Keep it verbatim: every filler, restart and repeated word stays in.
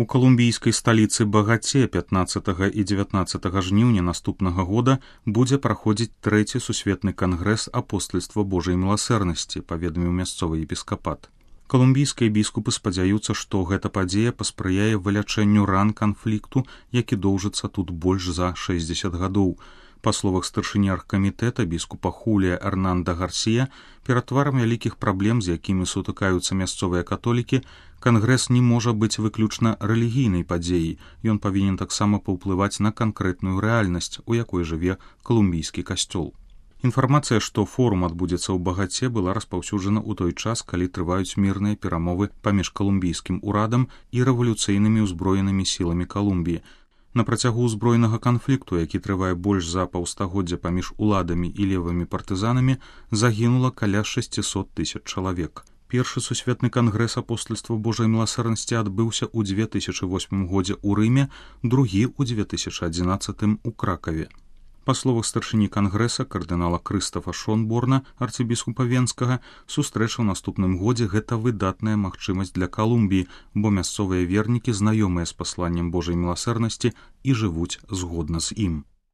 У калумбійскай сталіцы Багаце пятнаццатага і дзевятнаццатага жніўня наступнага года будзе праходзіць трэці сусветны кангрэс апостальства Божай міласэрнасці, паведаміў мясцовы епіскапат. Калумбійскія біскупы спадзяюцца, што гэта падзея паспрыяе вылячэнню ран канфлікту, які доўжыцца тут больш за шэсцьдзесят гадоў. Па словах старшыні аргкамітэта біскупа Хулія Эрнанда Гарсія, перад тварам вялікіх праблем, з якімі сутыкаюцца мясцовыя католікі, кангрэс не можа быць выключна рэлігійнай падзеяй. Ён павінен таксама паўплываць на канкрэтную рэальнасць, у якой жыве калумбійскі касцёл. Інфармацыя, што форум адбудзецца ў Багаце, была распаўсюджана ў той час, калі трываюць мірныя перамовы паміж калумбійскім урадам і рэвалюцыйнымі ўзброенымі сіламі Калумбіі. На працягу ўзброенага канфлікту, які трывае больш за паўстагоддзя паміж уладамі і левымі партызанамі, загінула каля шэсцьсот тысяч чалавек. Першы сусветны кангрэс апостальства Божай міласэрнасці адбыўся ў дзве тысячы восьмым годзе ў Рыме, другі ў дзве тысячы адзінаццатым у Кракаве. Па словах старшыні кангрэса кардынала Крыстафа Шонборна, арцыбіскупа Венскага, сустрэча ў наступным годзе гэта выдатная магчымасць для Калумбіі, бо мясцовыя вернікі знаёмыя з пасланнем Божай міласэрнасці і жывуць згодна з ім.